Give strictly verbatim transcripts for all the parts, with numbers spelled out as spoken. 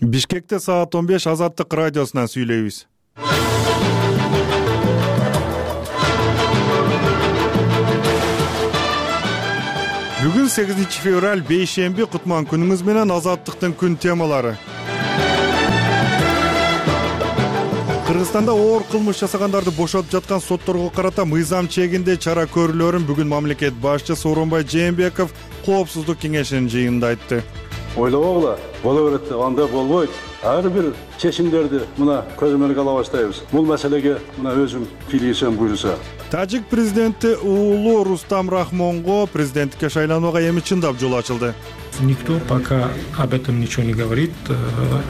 Бишкекте саат он беш Азаттык радиосунан сүйлөйбүз. Бүгүн сегизинчи февраль бейшемби, кутман күнүңүз менен Азаттыктын күн темалары. Кыргызстанда оор кылмыш жасагандарды бошотуп жаткан сотторго карата мыйзам чегинде чара көрүүлөрүн бүгүн мамлекет башчысы Сооронбай Жээнбеков Коопсуздук кеңешинин жыйынында айтты. Ойлобогула, боло берет деп анда болбойт. Ар бир чечимдерди мына көзөмөлгө ала баштайбыз. Бул маселеге мына өзүм кийлигисем буйруса. Тажик президенти уулу Рустам Рахмонго президенттикке шайланууга эми чындап жол ачылды. Никто пока об этом ничего не говорит,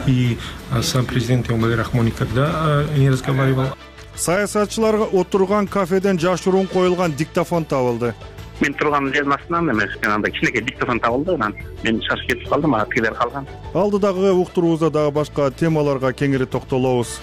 и сам президент Эмомали Рахмон никогда не разговаривал. Саясатчыларга отурган кафеден жашыруун коюлган диктофон табылды. Мен турган жердин астынан эмес, анда кичинекей диктофон табылды, анан мен шашып кетип калдым, ага тигилер калган. Алдыдагы уктуруубузда дагы башка темаларга кеңири токтолобуз.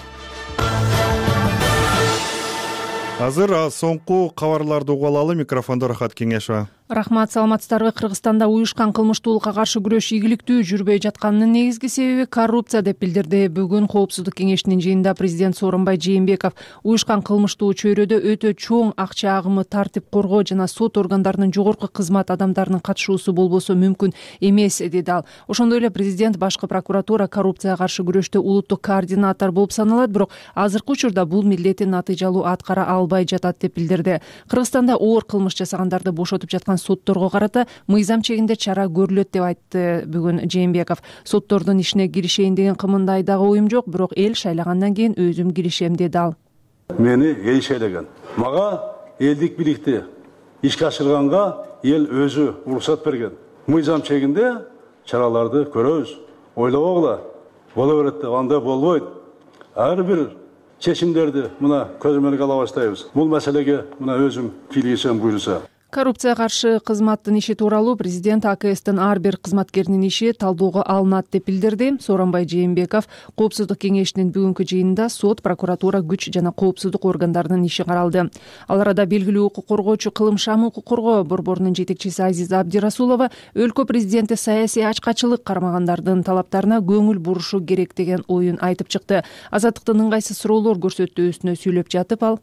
Азыр соңку кабарларды угуп алалы. Микрофондо Рахат Кеңешова. Рахмат, саламатсыздарбы? Кыргызстанда уюшкан кылмыштуулукка каршы күрөш ийгиликтүү жүрбөй жатканынын негизги себеби коррупция деп билдирди бүгүн Коопсуздук кеңешинин жыйынында президент Сооронбай Жээнбеков. Уюшкан кылмыштуу чөйрөдө өтө чоң акча агымы, тартип коргоо жана сот органдарынын жогорку кызмат адамдарынын катышуусу болбосо мүмкүн эмес, деди ал. Ошондой эле президент башкы прокуратура коррупцияга каршы күрөштө улуттук координатор болуп саналат, бирок азыркы учурда бул милдетин натыйжалуу аткара албай жатат деп билдирди. Кыргызстанда оор кылмыш жасагандарды бошотуп жаткан сотторго карата мыйзам чегинде чара көрүлөт деп айтты бүгүн Жээнбеков. Соттордун ишине киришейин деген кымындай дагы оюм жок, бирок эл шайлагандан кийин өзүм киришем, деди ал. Мени эл шайлаган. Мага элдик биликти ишке ашырганга эл өзү уруксат берген. Мыйзам чегинде чараларды көрөбүз. Ойлобогула, боло берет деп анда болбойт. Ар бир чечимдерди мына көзөмөлгө ала баштайбыз. Бул маселеге мына өзүм кийлигисем буйруса. Коррупцияга каршы кызматтын иши тууралуу президент А К Стин ар бир кызматкеринин иши талдоого алынат деп билдирди. Сооронбай Жээнбеков Коопсуздук кеңешинин бүгүнкү жыйынында сот, прокуратура, күч жана коопсуздук органдарынын иши каралды. Ал арада белгилүү укук коргоочу Кылым Шам укук коргоо борборунун жетекчиси Азиза Абдирасулова өлкө президенти саясий ачкачылык кармагандардын талаптарына көңүл бурушу керек деген оюн айтып чыкты. Азаттыктын ыңгайсыз суроолор көрсөтүүсүнө сүйлөп жатып ал: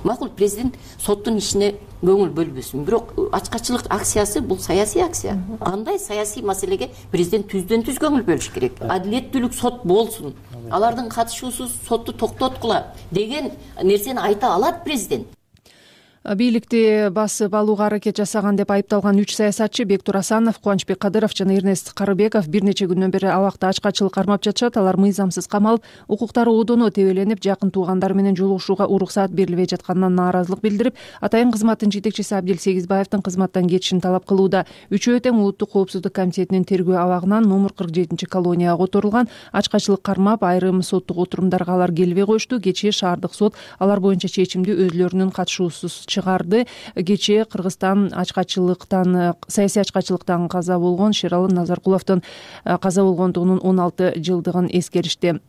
Макул, президент соттун ишине көңүл бөлбөсүн, бирок ачкачылык акциясы бул саясий акция. Андай саясий маселеге президент түздөн түз көңүл бөлүш керек. Адилеттүүлүк сот болсун, алардын катышуусуз сотту токтоткула деген нерсени айта алат президент. Бийликти басып алууга аракет жасаган деп айыпталган үч саясатчы Бектур Асанов, Кубанычбек Кадыров жана Эрнест Карыбеков бир нече күндөн бери абакта ачкачылык кармап жатышат. Алар мыйзамсыз камалып, укуктары одоно тебеленип, жакын туугандары менен жолугушууга уруксаат берилбей жатканынан нааразылык билдирип, атайын кызматтын жетекчиси Абдил Сегизбаевдин кызматтан кетишин талап кылууда. Үчөө тең Улуттук коопсуздук комитетинин тергөө абагынан номер кырк жетинчи колонияга которулган. Ачкачылык кармап, айрым соттук отурумдарга алар келбей коюшту. Кечээ шаардык сот алар боюнча чечимди өзлөрүнүн катышуусуз чыгарды. Кечээ Кыргызстан ачкачылыктан, саясий ачкачылыктан каза болгон Шералы Назаркуловдун каза болгондугунун он алты жылдыгын эскеришти.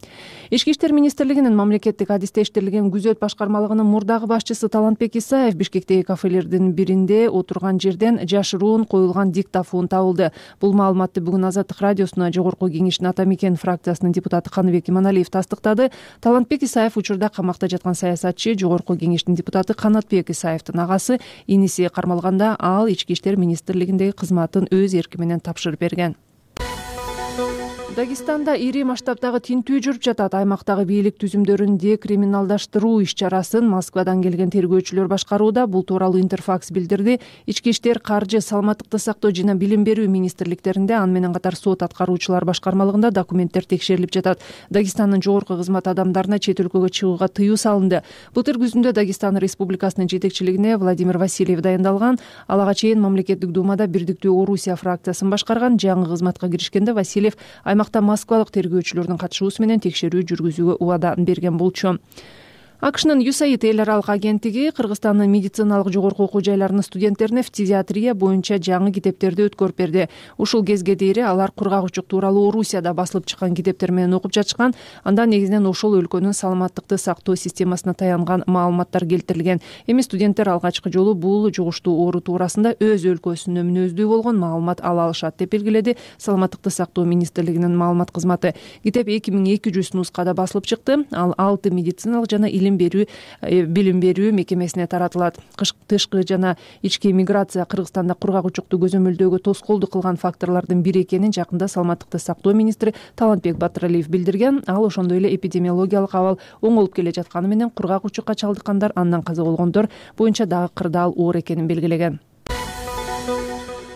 Ички иштер министрлигинин мамлекеттик адистештирилген күзөт башкармалыгынын мурдагы башчысы Талантбек Исаев Бишкектеги кафелердин биринде отурган жерден жашыруун коюлган диктофон табылды. Бул маалыматты бүгүн Азаттык радиосуна Жогорку кеңештин Ата Мекен фракциясынын депутаты Каныбек Иманалиев тастыктады. Талантбек Исаев учурда камакта жаткан саясатчы, Жогорку кеңештин депутаты Канатбек Исаевдин агасы, иниси кармалганда ал ички иштер министрлигиндеги кызматын өз эрки менен тапшырып берген. Дагестанда ири масштабтагы тинтүү жүрүп жатат. Аймактагы бийлик түзүмдөрүн декриминалдаштыруу иш-чарасын Москвадан келген тергөөчүлөр башкарууда. Бул тууралуу Интерфакс билдирди. Ички иштер, каржы, саламаттыкты сактоо жана билим берүү министрликтеринде, аны менен катар сот аткаруучулар башкармалыгында документтер текшерилип жатат. Дагестандын жогорку кызмат адамдарына чет өлкөгө чыгууга тыюу салынды. Былтыр күзүндө Дагестан Республикасынын жетекчилигине Владимир Васильев дайындалган. Ал ага чейин мамлекеттик думада Бирдиктүү Орусия фракциясын башкарган. Жаңы кызматка киришкенде Васильев аймакта москвалык тергөөчүлөрдүн катышуусу менен текшерүү жүргүзүүгө убада берген болчу. акшнын ю эс эй ай ди эл аралык агенттиги Кыргызстандын медициналык жогорку окуу жайларынын студенттерине фтизиатрия боюнча жаңы китептерди өткөрүп берди. Ушул кезге дейин алар кургак учук тууралуу Орусияда басылып чыккан китептер менен окуп жатышкан. Анда негизинен ошол өлкөнүн саламаттыкты сактоо системасына таянган маалыматтар келтирилген. Эми студенттер алгачкы жолу бул жугуштуу оору туурасында өз өлкөсүнө мүнөздүү болгон маалымат ала алышат деп белгиледи Саламаттыкты сактоо министрлигинин маалымат кызматы. Китеп эки миң эки жүз нускада басылып чыкты. Ал алты медициналык жана илим берүү билим берүү мекемесине таратылат. Тышкы жана ички миграция Кыргызстанда кургак учукту көзөмөлдөөгө тоскоолдук кылган факторлордун бири экенин жакында Саламаттыкты сактоо министри Талантбек Батыралиев билдирген. Ал ошондой эле эпидемиологиялык абал оңолуп келе жатканы менен кургак учукка чалдыккандар, андан каза болгондор боюнча дагы кырдаал оор экенин белгилеген.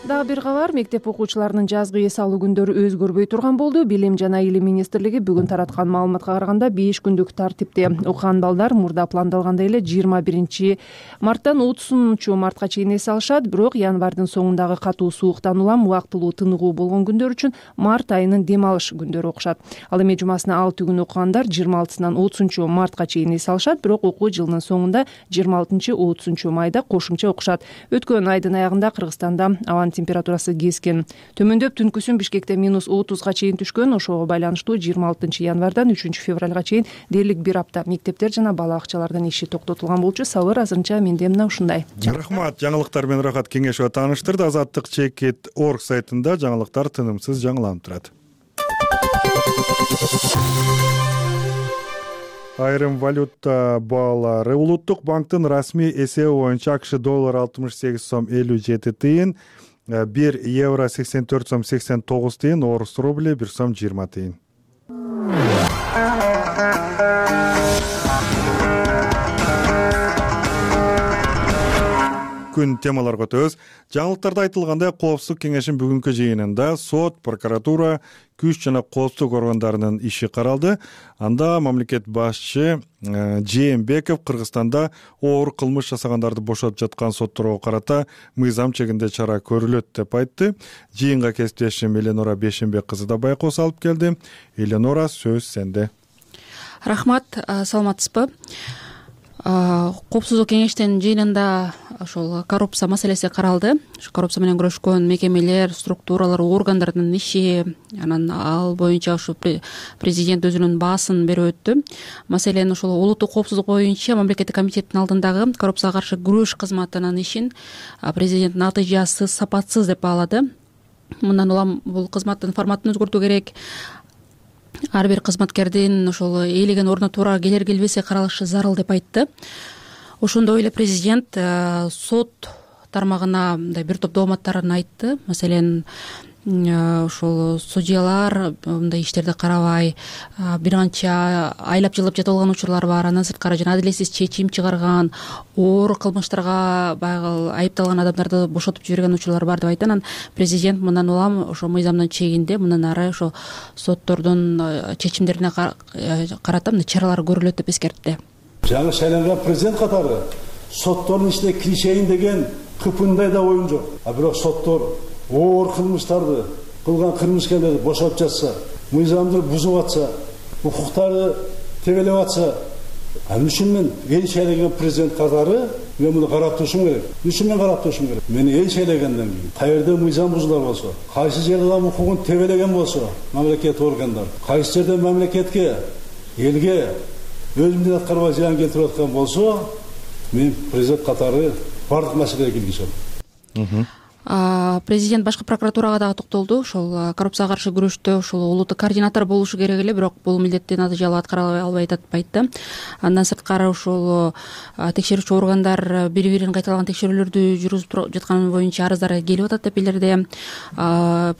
Дагы бир кабар, мектеп окуучуларынын жазгы эс алуу күндөрү өзгөрбөй турган болду. Билим жана илим министрлиги бүгүн тараткан маалыматка караганда беш күндүк тартипте окуган балдар мурда пландалгандай эле жыйырма биринчи марттан отузунчу мартка чейин эс алышат. Бирок январдын соңундагы катуу сууктан улам убактылуу тыныгуу болгон күндөр үчүн март айынын дем алыш күндөрү окушат. Ал эми жумасына алты күн окугандар жыйырма алтысынан отузунчу мартка чейин эс алышат. Бирок окуу жылынын соңунда жыйырма алтынчы отузунчу майда кошумча окушат. Өткөн айдын аягында Кыргызстанда абанын температурасы кескен төмөндөп, түнкүсүн Бишкекте минус отузга чейин түшкөн. Ошого байланыштуу жыйырма алтынчы январдан үчүнчү февралга чейин дээрлик бир апта мектептер жана бала бакчалардын иши токтотулган болчу. Сабыр азырынча менде мына ушундай. Рахмат. Жаңылыктар менен Рахат Кеңешова тааныштырды. Азаттык чекит точка орг сайтында жаңылыктар тынымсыз жаңыланып турат. Айрым валюта баалары. Улуттук банктын расмий эсеби боюнча АКШ доллар алтымыш сегиз сом элүү жети тыйын, бир евро сексен төрт сом сексен тогуз тыйын, орус рубли бир сом жыйырма тыйын. Күн темаларга өтөбүз. Жаңылыктарда айтылгандай, Коопсуздук кеңешинин бүгүнкү жыйынында сот, прокуратура, күч жана коопсуздук органдарынын иши каралды. Анда мамлекет башчы Жээнбеков Кыргызстанда оор кылмыш жасагандарды бошотуп жаткан сотторго карата мыйзам чегинде чара көрүлөт деп айтты. Жыйынга кесиптешим Эленора Бешенбек кызы да байкоос алып келди. Эленора, сөз сенде. Рахмат, саламатсызбы? Коопсуздук кеңештин жыйынында ошол коррупция маселеси каралды. Ошо коррупция менен күрөшкөн мекемелер, структуралар, органдардын иши, анан ал боюнча ошо президент өзүнүн баасын берип өттү. Маселен, ошол улуттук коопсуздук боюнча мамлекеттик комитеттин алдындагы коррупцияга каршы күрөш кызматынын ишин президент натыйжасы сапатсыз деп баалады. Мындан улам бул кызматтын форматын өзгөртүү керек. Ар бир кызматкердин ошол ээлеген ордуна туура келер келбеси каралышы зарыл деп айтты. Ошондой эле президент сот тармагына мындай бир топ дооматтарын айтты. Маселен, ошол судьялар мындай иштерди карабай, бир канча айлап жылап жатып алган учурлар бар. Андан сырткары жана адилетсиз чечим чыгарган, оор кылмыштарга баягы айыпталган адамдарды бошотуп жиберген учурлар бар деп айтты. Анан президент мындан улам ошо мыйзамдын чегинде мындан ары ошо соттордун чечимдерине карата мындай чаралар көрүлөт деп эскертти. Жаңы шайланган президент катары соттордун ичине киришейин деген кыпындай да оюм жок. А бирок соттор оор кылмыштарды кылган кылмыскерлерди бошотуп жатса, мыйзамды бузуп атса, укуктарды тебелеп атса, анын үчүн мен эл шайланган президент катары мен муну карап турушум керек. Үчүн мен карап турушум керек. Мени эл шайлагандан кийин каерде мыйзам бузулар болсо, кайсы жерде адам укугун тебелеген болсо, мамлекет органдар, кайсы жерде мамлекетке, элге өз милдетин аткарбай зыян келтирип аткан болсо, мен президент катары бардык маселеге киргизем. Президент башкы прокуратурага дагы токтолду. Ошол коррупцияга каршы күрөштө ошол улуттук координатор болушу керек эле, бирок бул милдетти натыйжалуу аткара албай атат деп айтты. Андан сырткары ошол текшерүүчү органдар бири-бирин кайталаган текшерүүлөрдү жүргүзүп жатканы боюнча арыздар келип атат деп билдирди.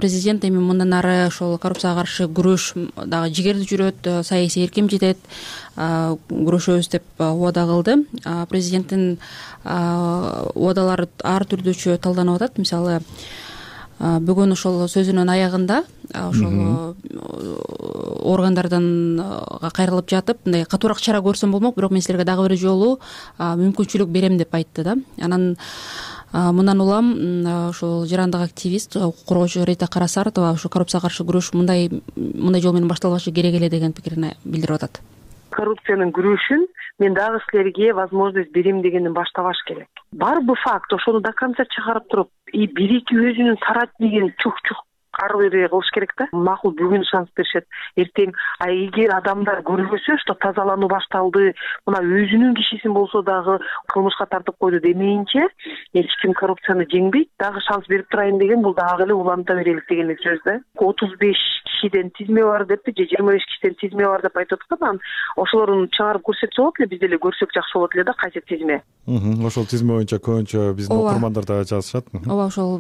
Президент эми мындан ары ошол коррупцияга каршы күрөш дагы жигерди жүрөт, саясий эрким жетет, күрөшөбүз деп убада кылды. Президенттин убадалары ар түрдүүчө талданып атат. Мисалы, бүгүн ошол сөзүнүн аягында ошол органдардан кайрылып жатып, мындай катуураак чара көрсөм болмок, бирок мен силерге дагы бир жолу мүмкүнчүлүк берем деп айтты да. Анан мындан улам ошол жарандык активист, укук коргоочу Рита Карасартова ошо коррупцияга каршы күрөш мындай мындай жол менен башталбашы керек эле деген пикирин билдирип атат. коррупциянын күрөшүн мен дагы силерге возможность берем дегенден баштабаш керек. Барбы факт, ошону до конца чыгарып туруп, и бир эки өзүнүн тарат деген чук-чук ары бери кылыш керек да. Макул, бүгүн шанс беришет, эртең а эгер адамдар көрбөсө, что тазалануу башталды, мына өзүнүн кишисин болсо дагы кылмышка тартып койду демейинче, эч ким коррупцияны жеңбейт, дагы шанс берип турайын деген, бул дагы эле уланта берелик деген сөз да. отуз беш кишиден тизме бар депти, же жыйырма беш кишиден тизме бар деп айтып аткан. Ошолорун чыгарып көрсөтсө болот эле, биз деле көрсөк жакшы болот эле да, кайсы тизме. Ошол тизме боюнча көбүнчө биздин окурмандар да жазышат. Ооба, ошол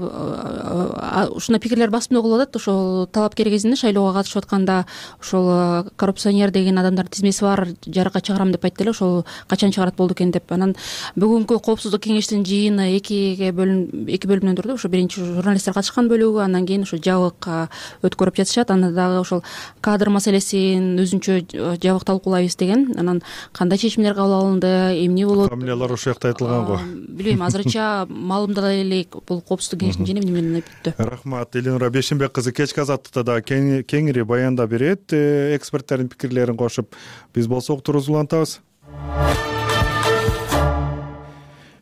ушундай пикирлер басымдуу кылып атат. Ошол талапкер кезинде шайлоого катышып атканда ошол коррупционер деген адамдардын тизмеси бар, жарыкка чыгарам деп айтты эле, ошол качан чыгарат болду экен деп. Анан бүгүнкү коопсуздук кеңештин жыйыны экиге бөлүн эки бөлүмдөн турду. Ошо биринчи журналисттер катышкан бөлүгү, андан кийин ошо жабык өткөрүп жатышат. Анда дагы ошол кадр маселесин өзүнчө жабык талкуулайбыз деген. Анан кандай чечимдер кабыл алынды, эмне болот? Фамилиялар ошол жакта айтылган го. Билбейм, азырынча маалымдай элек бул коопсуздук кеңештин жыйыны эмне менен өттү. Рахмат. Элинура Бешимбек кызы кечки азаттыкта да кеңири баяндап берет, эксперттердин пикирлерин кошуп. Биз болсо уктурубузду улантабыз.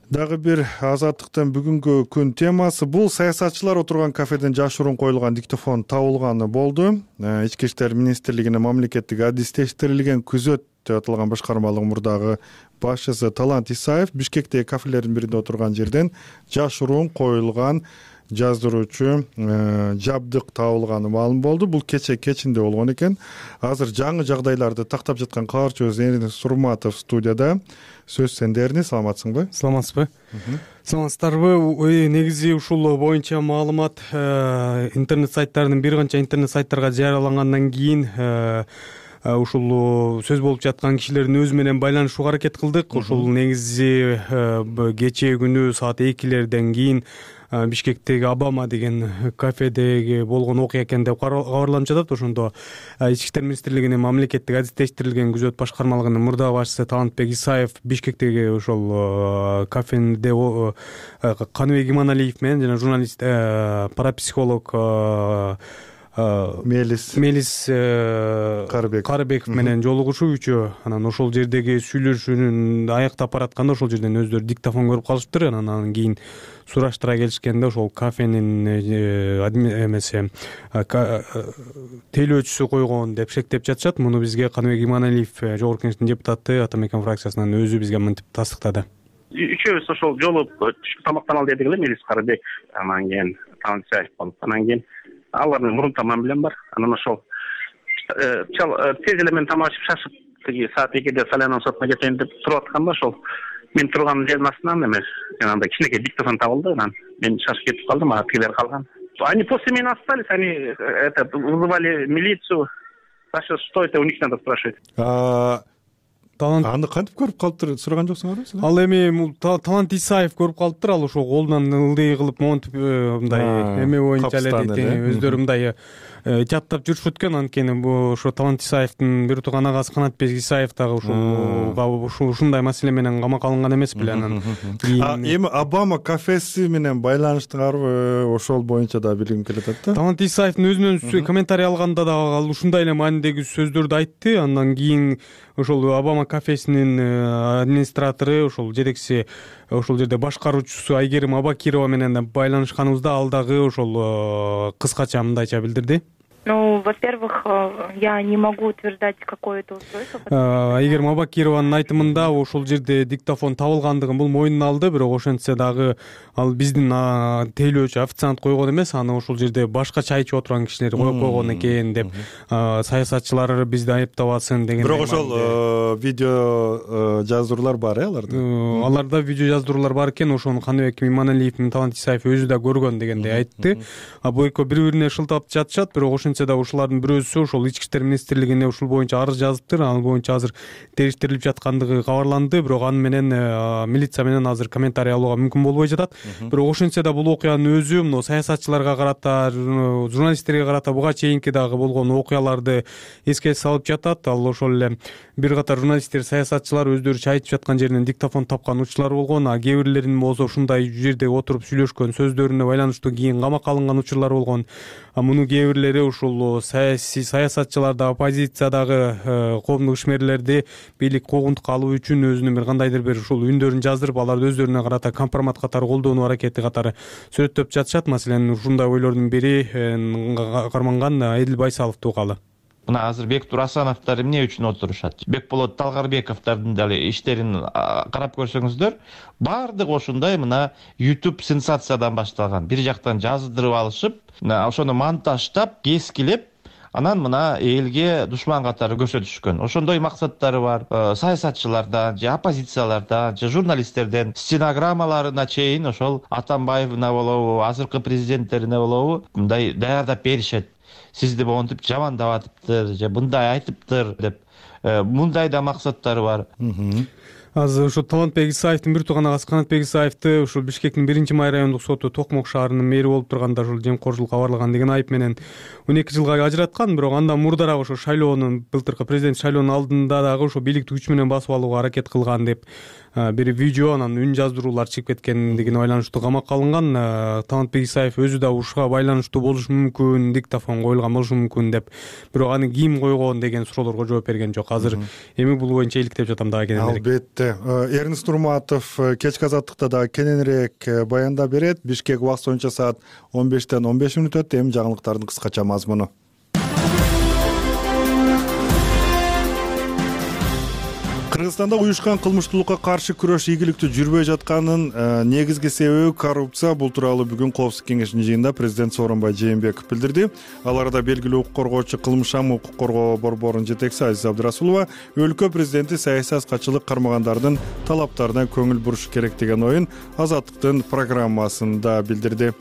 Дагы бир азаттыктын бүгүнкү күн темасы бул саясатчылар отурган кафеден жашыруун коюлган диктофон табылганы болду. Ички иштер министрлигинин мамлекеттик адистештирилген күзөт деп аталган башкармалык мурдагы башчысы Талант Исаев Бишкектеги кафелердин биринде отурган жерден жашыруун коюлган жаздыруучу жабдык табылганы маалым болду. Бул кече кечинде болгон экен. Азыр жаңы жагдайларды тактап жаткан кабарчыбыз Эрнис Сурматов студияда. Сөз сенде, Эрнис, саламатсыңбы? Саламатсызбы? Саламатсыздарбы? Негизи ушул боюнча маалымат интернет сайттарынын бир канча интернет сайттарга жарыялангандан кийин ушул сөз болуп жаткан кишилердин өзү менен байланышууга аракет кылдык. Ушул негизи кечээ күнү саат экилерден кийин Бишкектеги Обама деген кафедеги болгон окуя экен деп кабарланып жатат. Ошондо Ички иштер министрлигинин мамлекеттик адистештирилген күзөт башкармалыгынын мурдагы башчысы Талантбек Исаев Бишкектеги ошол кафеде Каныбек Иманалиев менен жана журналист парапсихолог Мелис Мелис Карыбеков менен жолугушуу үчөө, анан ошол жердеги сүйлөшүүнүн аяктап баратканда ошол жерден өздөрү диктофон көрүп калышыптыр. Анан кийин сураштыра келишкенде ошол кафенин эмеси тейлөөчүсү койгон деп шектеп жатышат. Муну бизге Каныбек Иманалиев жогорку кеңештин депутаты Ата Мекен фракциясынан өзү бизге мынтип тастыктады. Үчөөбүз ошол жолу түшкү тамактан ал дедик эле, Мелис Карыбек, анан кийин Талант Исаев болуп, анан кийин алардын мурун тамам билем бар. Анан ошол тез эле мен тамак ичип шашып тиги саат экиде Салянан сотуна кетейин деп туруп атканда ошол мен турган жердин астынан эме жанагындай кичинекей диктофон табылды. Анан мен шашып кетип калдым, а тигилер калган. Они после меня остались, они это вызывали милицию. Саша, что это у них надо спрашивать? Аны кантип көрүп калыптыр, сураган жоксуңарбы силер? Ал эми Талант Исаев көрүп калыптыр. Ал ошо колунан ылдый кылып монтип мындай эме боюнча эле дейт, өздөрү мындай жаттап жүрүшүп өткөн. Анткени бул ошо Талант Исаевдин бир тууган агасы Канатбек Исаев дагы ушул ушундай маселе менен камакка алынган эмес беле. Анан эми Обама кафеси менен байланыштыңарбы? Ошол боюнча да билгим келет да. Талант Исаевдин өзүнөн комментарий алганда дагы ал ушундай эле маанидеги сөздөрдү айтты. Андан кийин ошол Обама кафесинин администратору, ошол жетекчиси, ошол жерде башкаруучусу Айгерим Абакирова менен байланышканыбызда ал дагы ошол кыскача мындайча билдирди. Ну, во-первых, я не могу утверждать какое-то устройство. Айгерим Абакированын айтымында ошол жерде диктофон табылгандыгын бул мойнуна алды, бирок ошентсе дагы ал биздин тейлөөчү официант койгон эмес, аны ошол жерде башка чай ичип отурган кишилер коюп койгон экен деп, саясатчылар бизди айыптабасын деген. Бирок ошол видео жаздыруулар бар э аларда? Аларда видео жаздыруулар бар экен, ошону Каныбек Иманалиев менен Талант Исаев өзү да көргөн дегендей айтты. А бул экөө бири-бирине шылтап жатышат, бирок ошентсе да ушулардын бирөөсү ошол Ички иштер министрлигине ушул боюнча арыз жазыптыр. Ал боюнча азыр териштирилип жаткандыгы кабарланды, бирок аны менен милиция менен азыр комментарий алууга мүмкүн болбой жатат. Бирок ошентсе да бул окуянын өзү мына саясатчыларга карата, журналисттерге карата буга чейинки дагы болгон окуяларды эске салып жатат. Ал ошол эле бир катар журналисттер, саясатчылар өздөрү чай ичип жаткан жеринен диктофон тапкан учурлар болгон, а кээ бирлеринин болсо ушундай жерде отуруп сүйлөшкөн сөздөрүнө байланыштуу кийин камакка алынган учурлар болгон. муну кээ бирлери ушул саясий саясатчылар да оппозициядагы коомдук ишмерлерди бийлик куугунтукка алуу үчүн өзүнүн бир кандайдыр бир ушул үндөрүн жаздырып аларды өздөрүнө карата компромат катары колдонуу аракети катары сүрөттөп жатышат. Маселен ушундай ойлордун бири Карманган Эдил Байсаловду угалы. Мына азыр Бектур Асановдор эмне үчүн отурушат? Бекболот Талгарбековдордун дагы иштерин карап көрсөңүздөр, баардыгы ошондой мына YouTube сенсациядан башталган. Бир жактан жаздырып алышып, ошону монтаждап, кескилеп, анан мына элге душман катары көрсөтүшкөн. Ошондой максаттары бар. Саясатчылардан, же оппозициялардан, же журналисттерден стенограммаларына чейин ошол Атамбаевна болобу, азыркы президенттерине болобу мындай даярдап беришет. Сизди монтип жамандап атыптыр, же мындай айтыптыр деп. Мындай да максаттары бар. Азыр ушу Талантбек Исаевдин бир тууган агасы Канатбек Исаевди ушул Бишкектин биринчи май райондук соту Токмок шаарынын мэри болуп турганда ушул жемкорчулукка барылган деген айып менен он эки жылга ажыраткан. Бирок андан мурдараак ошо шайлоонун былтыркы президент шайлоонун алдында дагы ошо бийликти күч менен басып алууга аракет кылган деп бир видео анан үн жаздыруулар чыгып кеткендигине байланыштуу камакка алынган. Талантбек Исаев өзү да ушуга байланыштуу болушу мүмкүн, диктофон коюлган болушу мүмкүн деп, бирок аны ким койгон деген суроолорго жооп берген жок. Азыр эми бул боюнча иликтеп жатам дагы кененирээк. Албетте. Эрнест Нурматов кечки азаттыкта дагы кененирээк баяндап берет. Бишкек убакыт боюнча саат он бештен он беш мүнөт өттү. Эми жаңылыктардын кыскача мазмуну. Кыргызстанда уюшкан кылмыштуулукка каршы күрөш ийгиликтүү жүрбөй жатканын негизги себеби коррупция. Бул тууралуу бүгүн Коопсуздук кеңешинин жыйынында президент Сооронбай Жээнбеков билдирди. Ал арада белгилүү укук коргоочу Кылмышам укук коргоо борборунун жетекчиси Азиза Абдырасулова өлкө президенти саясий аскачылык кармагандардын талаптарына көңүл буруш керек деген оюн Азаттыктын программасында билдирди.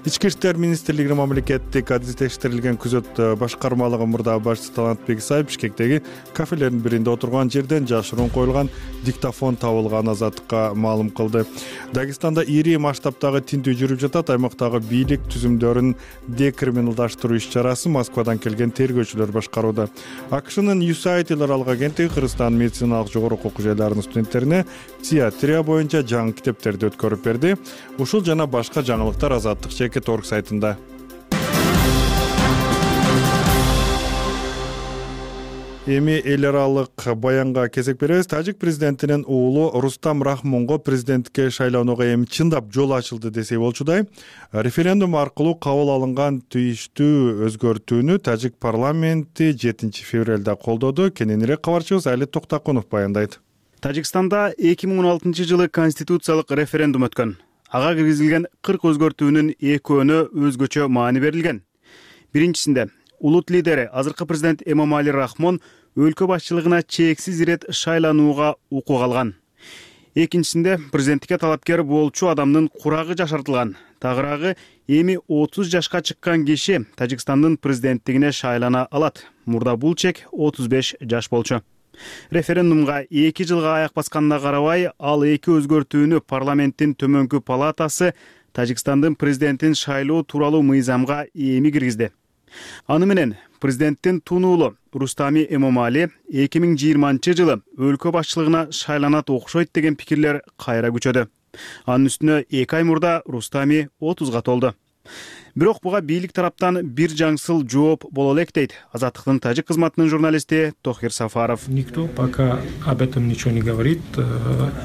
Ички иштер министрлигинин мамлекеттик адил текшерилген күзөт башкармалыгы мурдагы башчысы Талантбек Исаев Бишкектеги кафелердин биринде отурган жерден жашыруун коюлган диктофон табылган Азаттыкка маалым кылды. Дагестанда ири масштабтагы тинтүү жүрүп жатат. Аймактагы бийлик түзүмдөрүн декриминалдаштыруу иш-чарасы Москвадан келген тергөөчүлөр башкарууда. АКШнын ю эс эй ай аралык агенттиги Кыргызстан медициналык жогорку окуу жайларынын студенттерине психиатрия боюнча жаңы китептерди өткөрүп берди. Ушул жана башка жаңылыктар Азаттык чекит орг сайтында. Эми эл аралык баянга кезек беребиз. Тажик президентинин уулу Рустам Рахмонго президенттикке шайлоонуга эми чындап жол ачылды десек болчудай. Референдум аркылуу кабыл алынган тийиштүү өзгөртүүнү Тажик парламенти жетинчи февралда колдоду. Кененирээк кабарчыбыз Али Токтакунов баяндайт. Тажикстанда эки миң он алтынчы жылы конституциялык референдум өткөн. Ага киргизилген кырк өзгөртүүнүн экөөнө өзгөчө маани берилген. Биринчисинде улут лидери азыркы президент Эмомали Рахмон өлкө башчылыгына чексиз ирет шайланууга укук алган. Экинчисинде президенттикке талапкер болчу адамдын курагы жашартылган. Тагыраагы эми отуз жашка чыккан киши Тажикстандын президенттигине шайлана алат. Мурда бул чек отуз беш жаш болчу. Референдумга эки жылга аяк басканына карабай, ал эки өзгөртүүнү парламенттин төмөнкү палатасы Тажикстандын президентин шайлоо тууралуу мыйзамга эми киргизди. Аны менен президенттин тунуулу Рустами Эмомали эки миң жыйырманчы жылы өлкө башчылыгына шайланат окшойт деген пикирлер кайра күчөдү. Анын үстүнө эки ай мурда Рустами отузга толду. Бирок буга бийлик тараптан бир жаңсыл жооп боло элек дейт Азаттыктын тажик кызматынын журналисти Тохир Сафаров. Никто пока об этом ничего не говорит,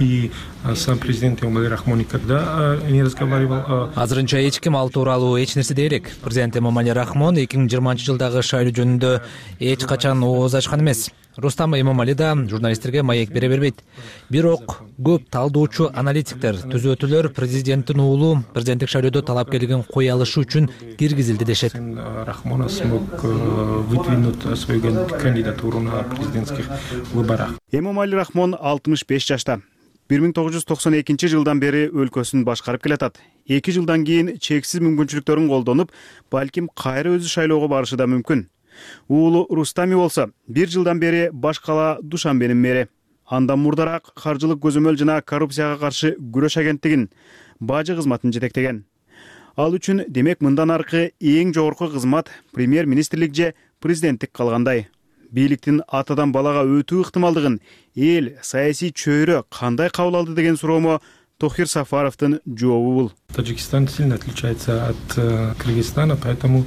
и сам президент Эмомали Рахмон никогда не разговаривал. Азырынча эч ким ал тууралуу эч нерсе дей элек. Президент Эмомали Рахмон эки миң жыйырманчы жылдагы шайлоо жөнүндө эч качан ооз ачкан эмес. Рустам Эмомали да журналисттерге маек бере бербейт. Бирок көп талдоочу аналитиктер, түзөтүүлөр президенттин уулу президенттик шайлоодо талапкерлигин кое алышы үчүн киргизилди дешет. Рахмона смог выдвинуть свою кандидатуру на президентских выборах. Эмомали Рахмон алтымыш беш жашта. бир миң тогуз жүз токсон экинчи жылдан бери өлкөсүн башкарып келатат. эки жылдан кийин чексиз мүмкүнчүлүктөрүн колдонуп, балким кайра өзү шайлоого барышы да мүмкүн. Уулу Рустами болсо бир жылдан бери баш кала Душанбенин мэри. Андан мурдараак каржылык көзөмөл жана коррупцияга каршы күрөш агенттигин бажы кызматын жетектеген. Ал үчүн демек мындан аркы эң жогорку кызмат премьер-министрлик же президенттик калгандай. Бийликтин атадан балага өтүү ыктымалдыгын эл, саясий чөйрө кандай кабыл алды деген суроомо Тохир Сафаровдун жообу бул. Таджикистан сильно отличается от э, Кыргызстана, поэтому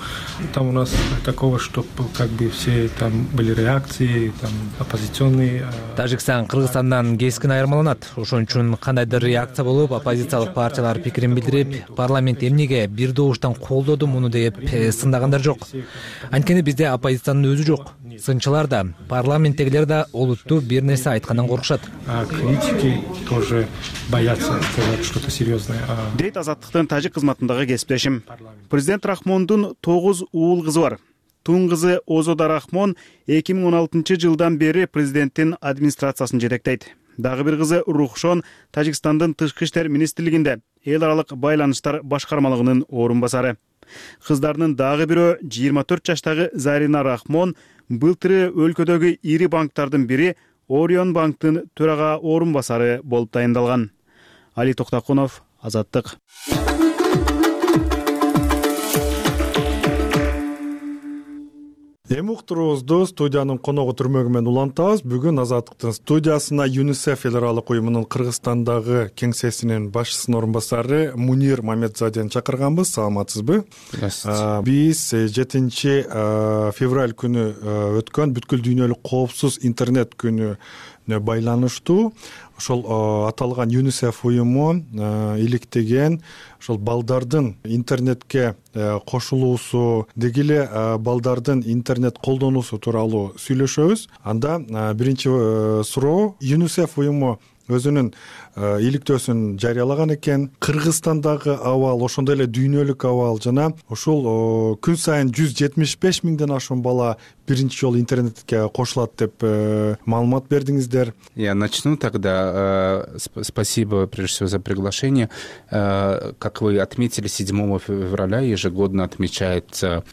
там у нас такого, чтобы как бы все там были реакции, там оппозиционные. Э... Тажикстан Кыргызстандан кескин айырмаланат. Ошон үчүн кандайдыр реакция болуп, оппозициялык партиялар пикирин билдирип, парламент эмнеге бир добуштан колдоду муну деп сындагандар жок. Анткени бизде оппозициянын өзү жок. Сынчылар да, парламенттегилер да олуттуу бир нерсе айткандан коркушат. А критики тоже боятся сказать что-то серьезное. Дейт Азаттыктын тажик кызматындагы кесиптешим. Президент Рахмондун тогуз уул кызы бар. Тун кызы Озода Рахмон эки миң он алтынчы жылдан бери президенттин администрациясын жетектейт. Дагы бир кызы Рухшон Тажикстандын тышкы иштер министрлигинде эл аралык байланыштар башкармалыгынын орун басары. Кыздарынын дагы бирөө жыйырма төрт жаштагы Зарина Рахмон былтыры өлкөдөгү ири банктардын бири Орион банктын төрага орун басары болуп дайындалган. Али Токтакунов, Азаттык. Эми уктуруубузду студиянын коногу түрмөгү менен улантабыз. Бүгүн Азаттыктын студиясына ЮНИСЕФ эл аралык уюмунун Кыргызстандагы кеңсесинин башчысынын орун басары Мунир Мамедзадени чакырганбыз. Саламатсызбы? Биз жетинчи февраль күнү өткөн бүткүл дүйнөлүк коопсуз интернет күнүнө байланыштуу ошол аталган ЮНИСЕФ уюму иликтеген ошол балдардын интернетке кошулуусу, деги эле балдардын интернет колдонуусу тууралуу сүйлөшөбүз. Анда биринчи суроо, ЮНИСЕФ уюму өзүнүн иликтөөсүн жарыялаган экен. Кыргызстандагы абал, ошондой эле дүйнөлүк абал жана ушул күн сайын жүз жетимиш беш миңден ашуун бала биринчи жолу интернетке кошулат деп маалымат бердиңиздер. Я начну тогда. Спасибо прежде всего за приглашение. Как вы отметили, седьмого февраля ежегодно отмечается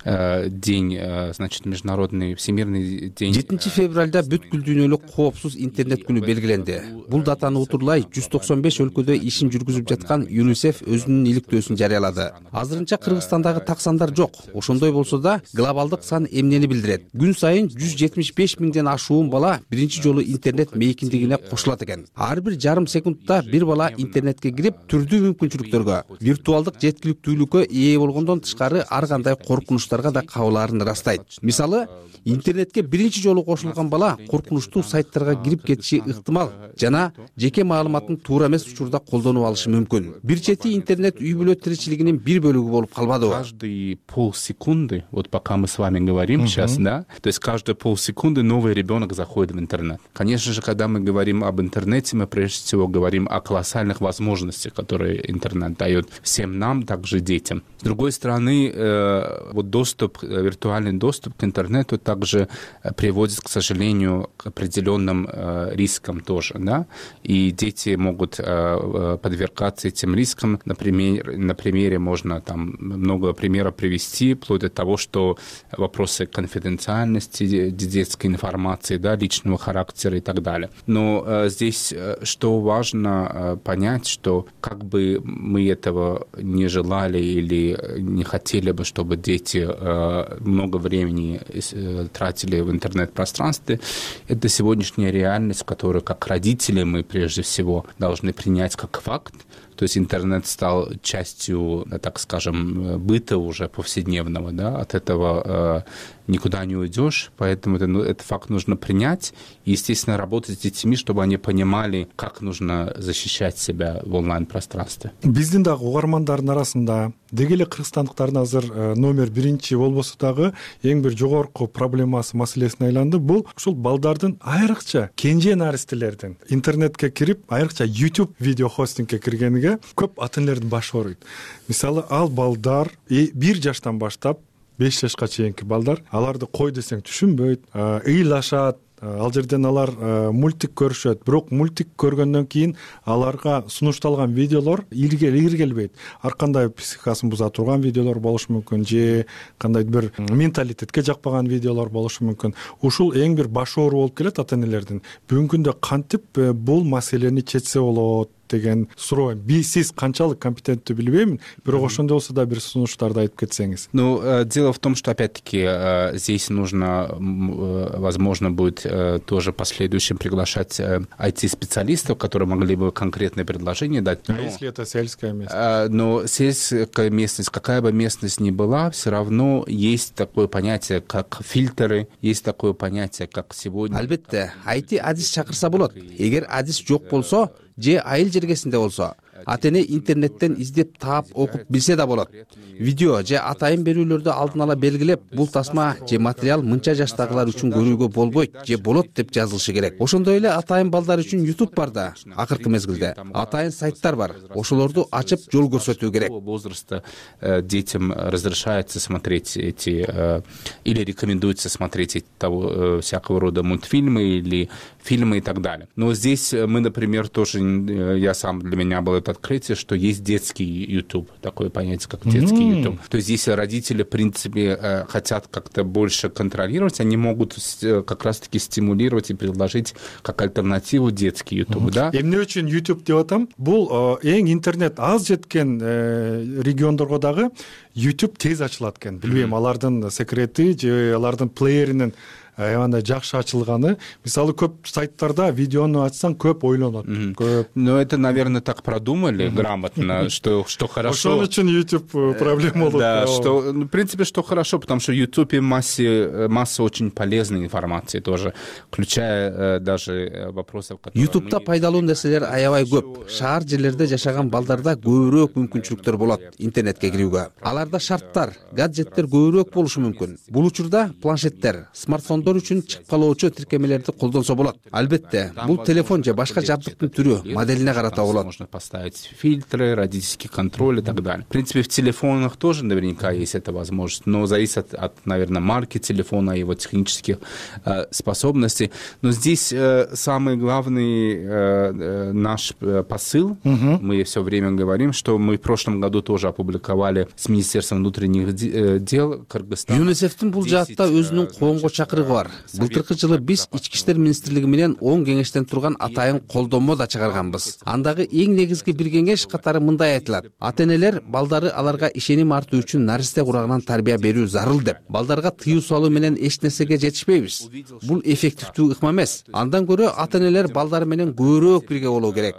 день, значит, международный всемирный день. жетинчи февралда бүткүл дүйнөлүк коопсуз интернет күнү белгиленди. Бул датаны утурлай жүз токсон беш өлкөдө ишин жүргүзүп жаткан ЮНИСЕФ өзүнүн иликтөөсүн жарыялады. Азырынча Кыргызстандагы так сандар жок. Ошондой болсо да глобалдык сан эмнени билдирет? Күн сайын жүз жетимиш беш миңден ашуун бала биринчи жолу интернет мейкиндигине кошулат экен. Ар бир жарым секундта бир бала интернетке кирип, түрдүү мүмкүнчүлүктөргө, виртуалдык жеткиликтүүлүккө ээ болгондон тышкары ар кандай коркунучтарга да кабылаарын ырастайт. Мисалы, интернетке биринчи жолу кошулган бала коркунучтуу сайттарга кирип кетиши ыктымал жана жеке маалыматын туура эмес учурда колдонуп алышы мүмкүн. Бир чети интернет үй бүлө тиричилигинин бир бөлүгү болуп калбадыбы? Каждые полсекунды, вот пока мы с вами говорим сейчас, да, то есть каждые полсекунды новый ребенок заходит в интернет. Конечно же, когда мы говорим об интернете, мы прежде всего говорим о колоссальных возможностях, которые интернет дает всем нам, также детям. С другой стороны, э, вот доступ, виртуальный доступ к интернету также приводит, к сожалению, к определенным э, рискам тоже, да, и дети могут э, подвергаться этим рискам. Например, на примере можно там много примеров привести, вплоть до того, что вопросы конфиденциальности детской информации, да, личного характера и так далее. Но э, здесь э, что важно э, понять, что как бы мы этого не желали или не хотели бы, чтобы дети э, много времени э, тратили в интернет-пространстве, это сегодняшняя реальность, которую как родители мы прежде всего должны принять как факт. То есть интернет стал частью, так скажем, быта уже повседневного, да, от этого э, никуда не уйдешь, поэтому это, ну, этот факт нужно принять и, естественно, работать с детьми, чтобы они понимали, как нужно защищать себя в онлайн-пространстве. Биздин дагы угармандардын арасында деги эле кыргызстандыктардын азыр номер биринчи болбосо дагы эң бир жогорку проблемасы маселесине айланды. Бул ушул балдардын айрыкча кенже наристелердин интернетке кирип, айрыкча YouTube видео хостингке киргениге көп ата энелердин башы ооруйт. Мисалы, ал балдар бир жаштан баштап беш жашка чейинки балдар, аларды кой десең түшүнбөйт, ыйлашат. Ал жерден алар мультик көрүшөт, бирок мультик көргөндөн кийин аларга сунушталган видеолор иргелбейт. Ар кандай психикасын буза турган видеолор болушу мүмкүн, же кандай бир менталитетке жакпаган видеолор болушу мүмкүн. Ушул эң бир баш оору болуп келет ата энелердин. Бүгүнкү күндө кантип бул маселени чечсе болот деген суроо. Би сиз канчалык компетенттүү билбеймин, бирок ошондой болсо да бир сунуштарды айтып кетсеңиз. Ну, дело в том, что опять-таки здесь нужно, возможно, будет тоже в последующем приглашать ай ти-специалистов, которые могли бы конкретные предложения дать. А если это сельская местность? Но сельская местность, какая бы местность ни была, все равно есть такое понятие, как фильтры, есть такое понятие, как сегодня. Албетте, ай ти адис чакырса болот. Эгер адис жок болсо, же айыл жергесинде болсо, ата эне интернеттен издеп таап окуп билсе да болот. Видео же атайын берүүлөрдү алдын ала белгилеп, бул тасма же материал мынча жаштагылар үчүн көрүүгө болбойт же болот деп жазылышы керек. Ошондой эле атайын балдар үчүн YouTube бар да, акыркы мезгилде. Атайын сайттар бар. Ошолорду ачып жол көрсөтүү керек. Возраста детям разрешается смотреть эти или рекомендуется смотреть того всякого рода мультфильмы или фильмы и так далее. Но здесь мы, например, тоже, я сам, для меня было это открытие, что есть детский YouTube, такое понятие, как детский mm. YouTube. То есть если родители, в принципе, хотят как-то больше контролировать, они могут как раз-таки стимулировать и предложить как альтернативу детский YouTube, mm-hmm. да? Эмне үчүн YouTube деп атам? Бул эң интернет аз жеткен региондорго дагы YouTube тез ачылат экен. Билбейм, алардын секрети же алардын плееринин аябандай жакшы ачылганы. Мисалы, көп сайттарда видеону ачсаң көп ойлонот. Көп. Но это, наверное, так продумали грамотно, что что хорошо. Ошон үчүн YouTube проблема болот. Да, что, в принципе, что хорошо, потому что в YouTube масса масса очень полезной информации тоже, включая даже вопросов, которые YouTube'да пайдалуу нерселер аябай көп. Шаар жерлерде жашаган балдарда көбүрөөк мүмкүнчүлүктөр болот интернетке кирүүгө. Аларда шарттар, гаджеттер көбүрөөк болушу мүмкүн. Бул учурда планшеттер, смартфон үчүн чыгып калуучу тиркемелерди колдонсо болот. Албетте, бул телефон же башка жабдыктын түрү, моделине карата болот. Можно поставить фильтры, родительский контроль и так далее. В принципе, в телефонах тоже наверняка есть эта возможность, но зависит от, наверное, марки телефона, его технических э, способностей. Но здесь э, самый главный э, наш посыл, угу. мы все время говорим, что мы в прошлом году тоже опубликовали с Министерством внутренних дел Кыргызстана. ЮНИСЕФтин бул жаатта өзүнүн коомго чакырыгы бар. Былтыркы жылы биз Ички иштер министрлиги менен он кеңештен турган атайын колдонмо да чыгарганбыз. Андагы эң негизги бир кеңеш катары мындай айтылат: ата-энелер балдары аларга ишеним артуу үчүн наристе курагынан тарбия берүү зарыл деп. Балдарга тыюу салуу менен эч нерсеге жетишпейбиз. Бул эффективдүү ыкма эмес. Андан көрө ата-энелер балдары менен көбүрөөк бирге болуу керек.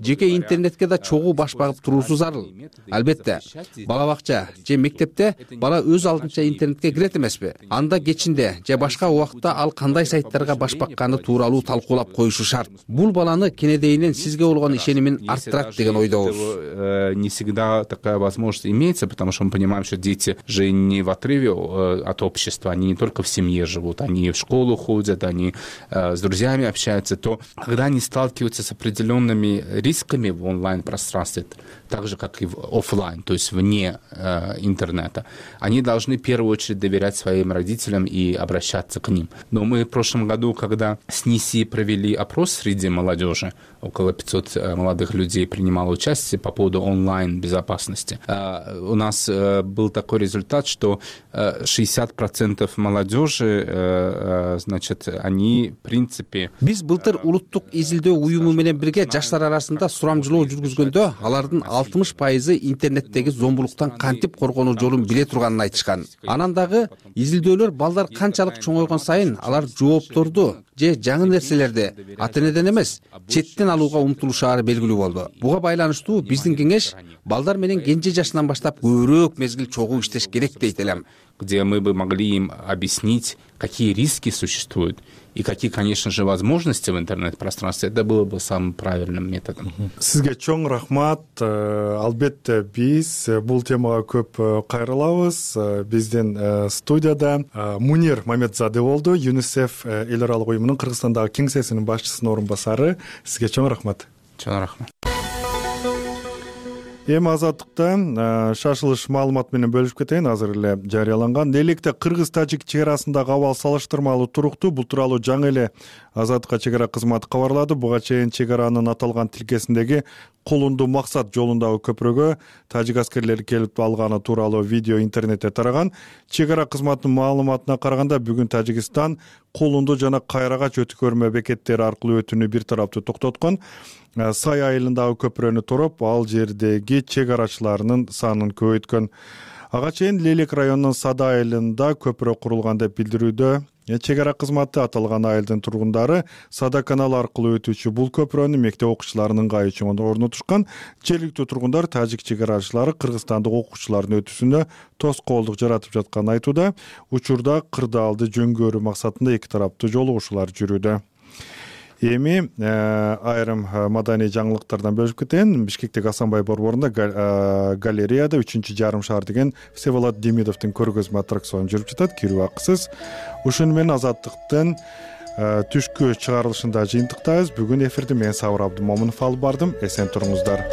Жеке интернетке да чогуу баш багып туруусу зарыл. Албетте, бала бакча же мектепте бала өз алдынча интернетке кирет эмеспи? Анда кечинде же башка убакытта ал кандай сайттарга баш бакканы тууралуу талкуулап коюшу шарт. Бул баланы кенедейинен сизге болгон ишенимин арттырат деген ойдобуз. Не всегда такая возможность имеется, потому что мы понимаем, что дети же не в отрыве от общества, они не только в семье живут, они в школу ходят, они с друзьями общаются, то когда они сталкиваются с определенными рисками в онлайн-пространстве, так же, как и в офлайн, то есть вне э, интернета, они должны в первую очередь доверять своим родителям и обращаться к ним. Но мы в прошлом году, когда с НИСИ провели опрос среди молодежи, около пятьсот э, молодых людей принимало участие по поводу онлайн-безопасности, э, у нас э, был такой результат, что э, шестьдесят процентов молодежи, э, э, значит, они, в принципе... Биз былтыр улуттук изилдөө уюму менен бирге жаштар арасында сурамжылоо жүргүзгөндө, алардын алтымыш пайызы интернеттеги зомбулуктан кантип коргонуу жолун биле турганын айтышкан. Анан дагы изилдөөлөр балдар канчалык чоңойгон сайын алар жоопторду же жаңы нерселерди ата-энеден эмес, четтен алууга умтулушаары белгилүү болду. Буга байланыштуу биздин кеңеш балдар менен кенже жашынан баштап көбүрөөк мезгил чогуу иштеш керек дейт элем. Где мы бы могли им объяснить, какие риски существуют и какие, конечно же, возможности в интернет-пространстве, это было бы самым правильным методом. Сизге чоң рахмат. Албетте биз бул темага көп кайрылабыз. Биздин студияда Мунир Мамедзаде болду, ЮНИСЕФ эл аралык уюмунун Кыргызстандагы кеңсесинин башчысынын орун басары. Сизге чоң рахмат. Чоң рахмат. Эми азаттыкта шашылыш маалымат менен бөлүшүп кетейин. Азыр эле жарыяланган электе кыргыз-тажик чек арасындагы абал салыштырмалуу туруктуу. Бул тууралуу жаңы эле азаттыкка чек ара кызматы кабарлады. Буга чейин чек аранын аталган тилкесиндеги Кулунду максат жолундагы көпүрөгө тажик аскерлери келип алганы тууралуу видео интернетте тараган. Чек ара кызматынын маалыматына караганда бүгүн Тажикстан Кулунду жана Кайрагач өткөрмө бекеттери аркылуу өтүүнү бир тараптуу токтоткон. Сай айылындагы көпүрөнү туруп, ал жердеги чек арачыларынын санын көбөйткөн. Ага чейин Лелек районунун Сада айылында көпүрө курулган деп билдирүүдө чек ара кызматы. Аталган айылдын тургундары Сада каналы аркылуу өтүүчү бул көпүрөнү мектеп окуучуларынын ыңгайы үчүн орнотушкан. Жергиликтүү тургундар тажик чек арачылары кыргызстандык окуучулардын өтүүсүнө тоскоолдук жаратып жатканын айтууда. Учурда кырдаалды жөнгөрүү максатында эки тараптуу жолугушуулар жүрүүдө. Эми айрым маданий жаңылыктардан бөлүшүп кетейин. Бишкектеги Асанбай борборунда галереяда үчүнчү жарым шаар деген Всеволод Демидовдун көргөзмө аттракциону жүрүп жатат, кирүү акысыз. Ушуну менен Азаттыктын түшкү чыгарылышында жыйынтыктайбыз. Бүгүн эфирди мен Сабыр Абдымомунов алып бардым. Эсен туруңуздар.